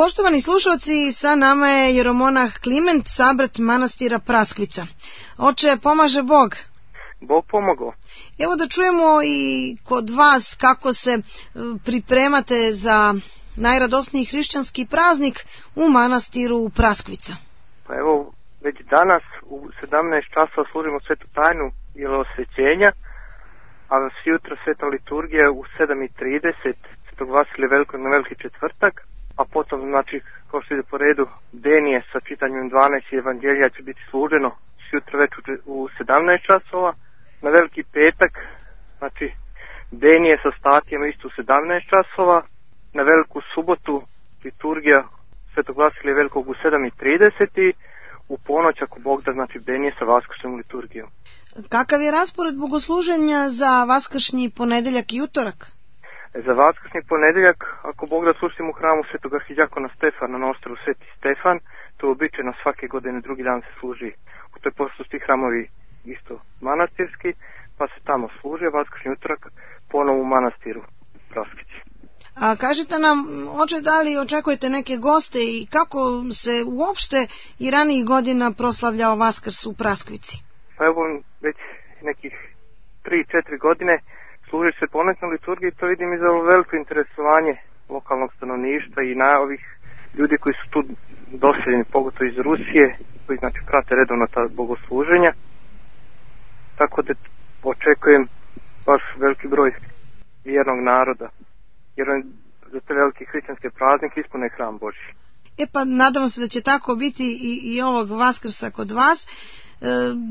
Poštovani slušalci, sa nama je jeromonah Kliment, sabrat manastira Praskvica. Oče, pomaže Bog. Bog pomogao. Evo da čujemo i kod vas kako se pripremate za najradosniji hrišćanski praznik u manastiru Praskvica. Pa evo, već danas u 17 časova služimo svetu tajnu jelosvećenja, a sutra sveta liturgija u 7:30 Svetog Vasilija Velikog na Veliki četvrtak, a potom, znači, kao što ide po redu, denije sa čitanjem 12 evanđelja će biti služeno sutra već u 17 časova. Na Veliki petak, znači, denije sa statijama isto u 17 časova. Na Veliku subotu liturgija Svetog Vasilija Velikog u 7:30 u ponoć, ako Bog da, znači, denije sa vaskršnjom liturgijom. Kakav je raspored bogosluženja za vaskršnji ponedeljak i utorak? Za vaskršnji ponedeljak, ako Bog da, slušamo u hramu Svetog arhidijakona Stefana na ostrvu Sveti Stefan. To je običajno svake godine, drugi dan se služi. U toj pošto su ti hramovi isto manastirski, pa se tamo služi, a vaskršnji utorak ponovo u manastiru Praskvici. A kažete nam, oče, da li očekujete neke goste i kako se uopšte i ranijih godina proslavljao Vaskrs u Praskvici? Pa evo, već nekih 3-4 godine služi se ponoćnoj liturgiji, to vidim i za veliko interesovanje lokalnog stanovništva i na ovih ljudi koji su tu doseljeni, pogotovo iz Rusije, koji, znači, prate redovno ta bogosluženja. Tako da očekujem baš veliki broj vjernog naroda, jer on za te velike hrišćanske praznike ispune hram Božji. Pa nadamo se da će tako biti i ovog Vaskrsa kod vas.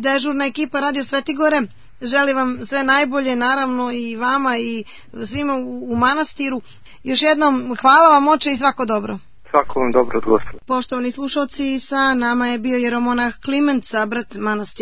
Dežurna ekipa Radio Svetigore želi vam sve najbolje, naravno i vama i svima u manastiru. Još jednom hvala vam, oče, i svako dobro. Svako vam dobro od Gospoda. Poštovani slušalci, sa nama je bio jeromonah Kliment, sabrat manastira